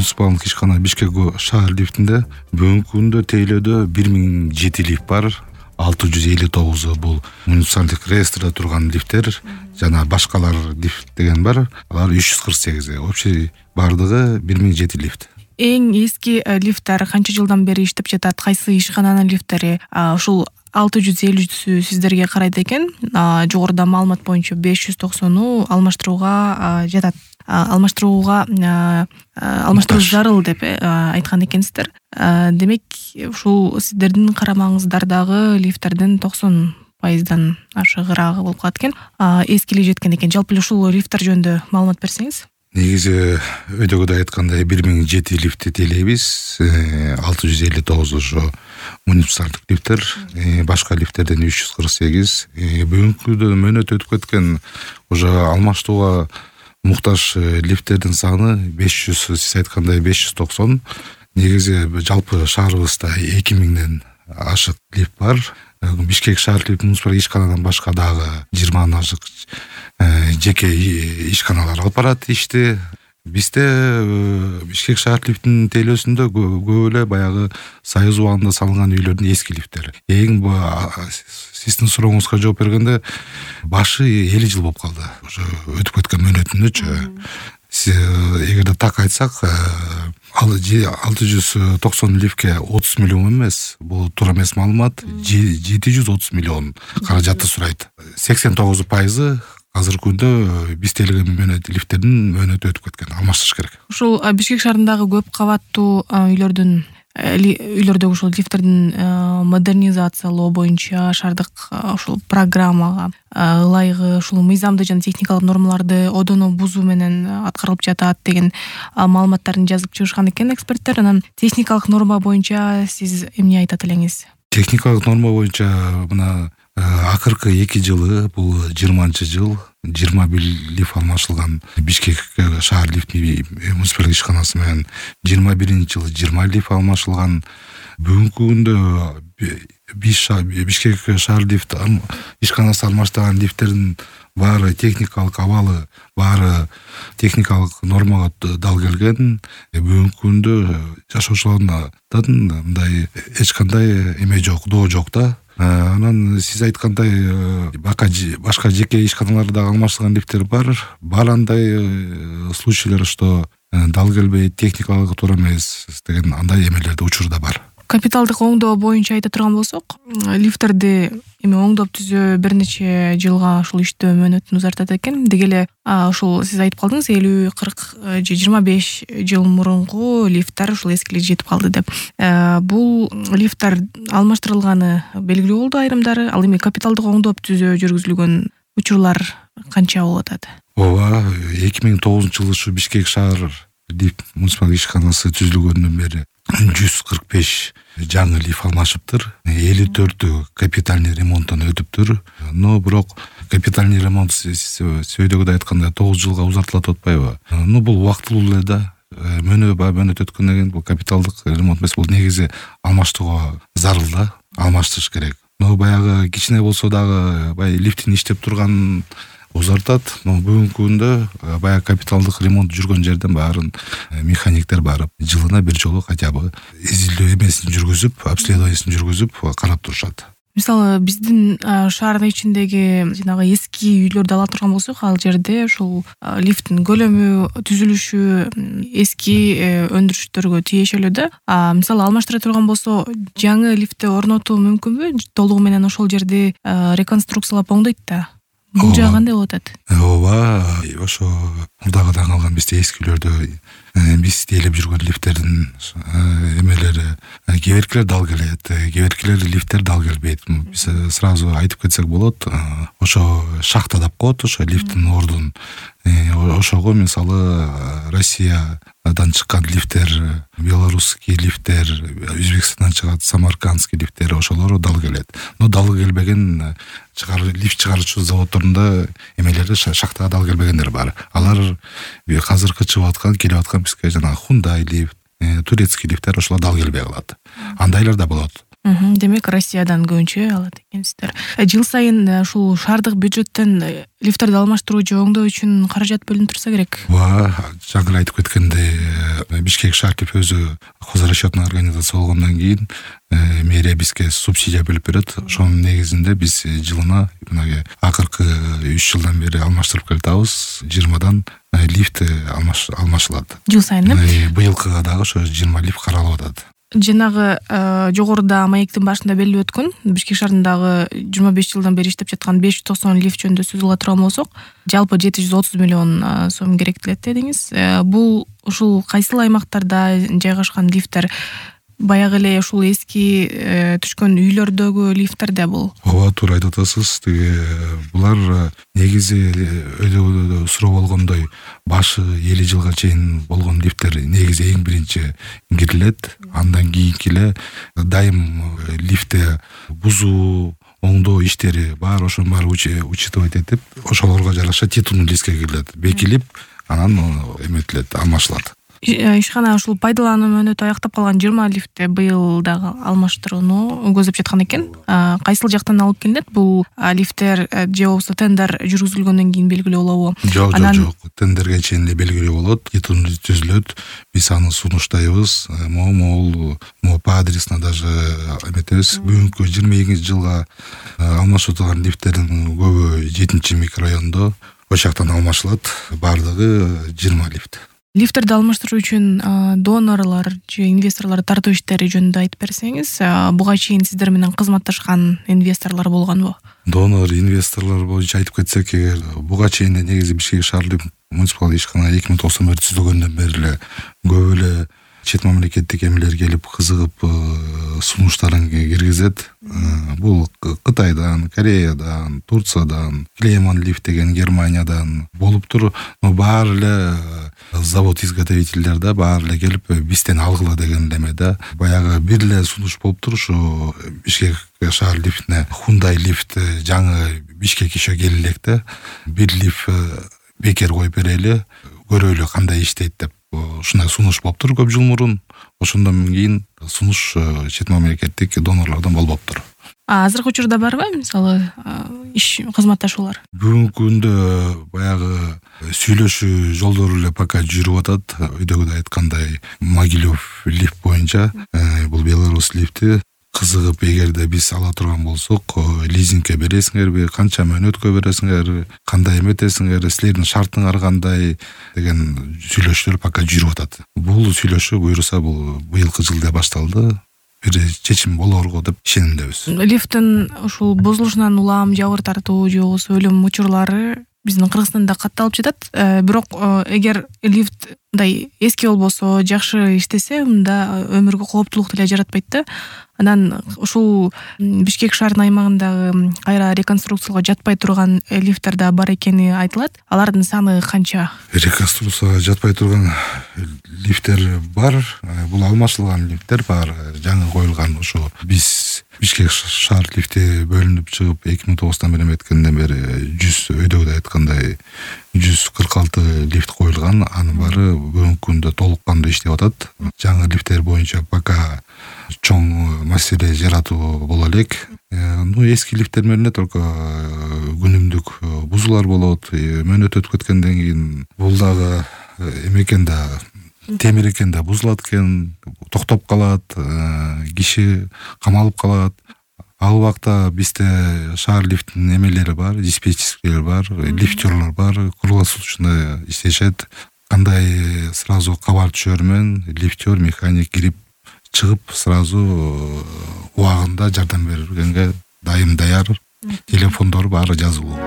муниципалдык ишкана Бишкек шаар лифтинде бүгүнкү күндө тейлөөдө 1007 лифт бар. 659 бул муниципалдык реестрде турган лифттер жана башкалар лифт деген бар. Алар 348. Общий бардыгы 1007 лифт. Эң эски лифттер канча жылдан бери иштеп жатат? Кайсы ишкананын лифттери? Ушул 650 сиздерге карайт экен. Жогоруда маалымат боюнча 590 алмаштырууга жатат. Алмаштыруу зарыл деп айткан экенсиздер. Демек, ушул сиздердин карамаңыздардагы лифттердин 90% ашыгыраагы болуп калат экен. Эскилиги жеткен экен. Жалпы ушул лифттер жөнүндө маалымат берсеңиз. Негизи өйдөгөдө айткандай 1007 лифтти тейлейбиз. 659 ошо муниципалдык лифттер, башка лифттерден 348. Бүгүнкү күндө мөөнөт өтүп кеткен уже алмаштууга муктаж лифттердин саны 500, сиз айткандай 590. Негизи жалпы шаарыбызда 2000ден ашык лифт бар. Бишкек шаар лифт муниципалдык ишканадан башка дагы 20 ашык жеке ишканалар алып барат ишти. Бизде Бишкек шаар лифтинин тейлөөсүндө көп эле баягы Союз убагында салынган үйлөрдүн эски лифттери. Эң сиздин сурооңузга жооп бергенде башы 50 жыл болуп калды. Уже өтүп кеткен мөөнөтүндөчү. Эгерде так айтсак, 690 лифтке 30 миллион эмес, бул туура эмес маалымат, 730 миллион каражатты сурайт. 89% азыркы күндө биз тейлеген лифттердин мөөнөтү өтүп кеткен, алмаштырыш керек. Ушул Бишкек шаарындагы көп кабаттуу үйлөрдөгү ушул лифттердин модернизациялоо боюнча шаардык ушул программага ылайыгы ушул мыйзамды жана техникалык нормаларды одоно бузуу менен аткарылып жатат деген маалыматтарын жазып чыгышкан экен эксперттер. Анан техникалык норма боюнча сиз эмне айтат элеңиз? Техникалык норма боюнча мына акыркы 2 жылы, бул 20-жыл 21 лифт алмашылган Бишкек шаар лифт муниципалдык ишканасы менен 21-жылы 20 лифт алмашылган. Бүгүнкү күндө Бишкек шаар лифт ишканасы алмаштырган лифттердин баары техникалык абалы, баары техникалык нормага дал келген. Бүгүнкү күндө жашоочулардан мындай эч кандай эме жок, доо жок да. Анан сиз айткандай башка жеке ишканаларда алмаштырган лифттер бар. Бар андай случайлар, что дал келбейт, техникалык туура эмес деген андай эмелерде учурда бар. Капиталдык оңдоо боюнча айта турган болсок, лифттерди эми оңдоп түзөө бир нече жылга ушул иштөө мөөнөтүн узартат экен. Деги эле ушул сиз айтып калдыңыз, 50, 40 же 25 жыл мурунку лифттер ушул эскилиги жетип калды деп. Бул лифттер алмаштырылганы белгилүү болду айрымдары. Ал эми капиталдык оңдоп түзөө жүргүзүлгөн учурлар канча болуп атат? 2009-жылы ушу Бишкек шаар лифт муниципалдык ишканасы түзүлгөндөн бери 145 жаңы лифт алмашыптыр. 54 капитальный ремонттон өтүптүр. Но бирок капитальный ремонт сөйдөгөдө айтканда 9 жылга узартылат атпайбы? Бул убактылуу эле да. Мөөнөт өткөндөн кийин бул капиталдык ремонт эмес, бул негизи алмаштырууга зарыл да, алмаштырыш керек. Но баягы кичине болсо дагы лифттин иштеп турган узартат. Но бүгүнкү күндө баягы капиталдык ремонт жүргөн жерден баарын механиктер барып, жылына бир жолу хотя бы изилдөө эмесин жүргүзүп, обследованиесин жүргүзүп карап турушат. Мисалы, биздин шаардын ичиндеги жанагы эски үйлөрдү ала турган болсок, ал жерде ушул лифттин көлөмү, түзүлүшү эски өндүрүштөргө тиешелүү да. Мисалы, алмаштыра турган болсо, жаңы лифтти орнотуу мүмкүнбү? Толугу менен ошол жерди реконструкциялап оңдойт да. Бул жагы кандай болуп атат? Ошо мурдагыдан калган бизде эски үйлөрдө биз тейлеп жүргөн лифттердин эмелери, кеберкилер дал келет, кеберкилер лифттер дал келбейт. Биз сразу айтып кетсек болот. Ошо шахта деп коет, ошо лифттин ордун. Ошого мисалы Россиядан чыккан лифттер, белорусский лифттер, Өзбекстандан чыгат самаркандский лифттер, ошолор дал келет. Но дал келбеген лифт чыгаруучу заводдорунда эмелерде шахтага дал келбегендер бар. Алар азыркы чыгып аткан, келип аткан бизге жана Hyundai лифт, турецкий лифттер ошолор дал келбей калат. Андайлар да болот. Демек Россиядан көбүнчө алат экенсиздер. Жыл сайын ушул шаардык бюджеттен лифттерди алмаштыруу же оңдоо үчүн каражат бөлүнүп турса керек. Жаңы айтып кеткендей, Бишкек шаар лифт өзү хозрасчетный организация болгондон кийин мэрия бизге субсидия бөлүп берет. Ошонун негизинде биз жылына акыркы 3 жылдан бери алмаштырып келатабыз. 20дан лифт алмашылат. Жыл сайын быйылкыга дагы ошо 20 лифт каралып атат. Жанагы жогоруда маектин башында белгилеп өткөн Бишкек шаарындагы 25 жылдан бери иштеп жаткан 590 лифт жөнүндө сөз кыла турган болсок, жалпы 730 миллион сом керектелет дедиңиз. Бул ушул кайсыл аймактарда жайгашкан лифттер? Баягы эле ушул эски түшкөн үйлөрдөгү лифттерде бул? Ооба, туура айтып атасыз. Булар негизи өйдө суроо болгондой башы 50 жылга чейин болгон лифттер негизи эң биринчи кирилет. Андан кийинки эле дайым лифтте бузуу, оңдоо иштери бар, ошонун баары учитывать этип, ошолорго жараша титулдуу лифтке кирилет, бекилип, анан эметилет, алмашылат. Ишкана ушул пайдалануу мөөнөтү аяктап калган 20 лифтти быйыл дагы алмаштырууну көздөп жаткан экен. Кайсыл жактан алып келинет бул лифттер, же болбосо тендер жүргүзүлгөндөн кийин белгилүү болобу? Жок. Тендерге чейин эле белгилүү болот, титул түзүлөт. Биз аны сунуштайбыз. Могул по адресно даже эметебиз. Бүгүнкү 22-жылга алмашып турган лифттердин көбү 7-микрорайондо ошол жактан алмашылат. Бардыгы 20 лифт. Лифттерди алмаштыруу үчүн донорлор же инвесторлор тартуу иштери жөнүндө айтып берсеңиз, буга чейин сиздер менен кызматташкан инвесторлор болгонбу? Донор, инвесторлор боюнча айтып кетсек, буга чейин негизи Бишкек шаардык муниципалдык ишкана 2009 бери түзүлгөндөн бери эле көп эле чет мамлекеттик эмелер келип кызыгып сунуштарын киргизет. Бул Кытайдан, Кореядан, Турциядан, Клейман лифт деген Германиядан болуптур. Но баары эле завод изготовительдер да баары эле келип бизден алгыла деген эмеде. Баягы бир эле сунуш болуптур, ушу Бишкек шаар лифтине Hyundai лифт жаңы Бишкек ишо келе элек да. Бир лифт бекер коюп берели, көрөлү кандай иштейт деп. Ушундай сунуш болуптур көп жыл мурун. Ошондон кийин сунуш чет мамлекеттик донорлордон болбоптур. Азыркы учурда барбы, мисалы, иш кызматташуулар? Бүгүнкү күндө баягы сүйлөшүү жолдору эле пока жүрүп атат. Өйдөгүдөй айткандай Могилев лифт боюнча, бул Беларусь лифти. Кызыгып, эгерде биз ала турган болсок, лизингке бересиңерби, канча мөөнөткө бересиңер, кандай эметесиңер, силердин шартыңар кандай деген сүйлөшүүлөр пока жүрүп атат. Бул сүйлөшүү буюрса бул быйылкы жылда башталды. Бир чечим болорго деп ишенимдебиз. Лифттин ушул бузулушунан улам жабыр тартуу же болбосо өлүм учурлары биздин Кыргызстанда катталып жатат. Бирок эгер лифт мындай эски болбосо, жакшы иштесе, мында өмүргө кооптулук деле жаратпайт да. Анан ушул Бишкек шаарынын аймагындагы кайра реконструкцияга жатпай турган лифттер да бар экени айтылат. Алардын саны канча? Реконструкцияга жатпай турган лифттер бар. Бул алмашылган лифттер бар. Жаңы коюлган ушу биз Бишкек шаар лифти бөлүнүп чыгып 2009 бери эметкенден бери 100 өйдөгүдөй айткандай 146 лифт коюлган. Анын баары бүгүнкү күндө толук кандуу иштеп атат. Жаңы лифттер боюнча пока чоң маселе жаратуу боло элек. Эски лифттер менен только күнүмдүк бузуулар болот. Мөөнөт өтүп кеткенден кийин бул дагы эмекен да темир экен да бузулат экен, токтоп калат, киши камалып калат. Ал убакта бизде шаар лифтинин эмелери бар, диспетчерлер бар, лифтерлор бар, круглосуточно иштешет. Кандай сразу кабар түшөр менен лифтер, механик кирип чыгып сразу убагында жардам бергенге дайым даяр. Телефондору баары жазылуу.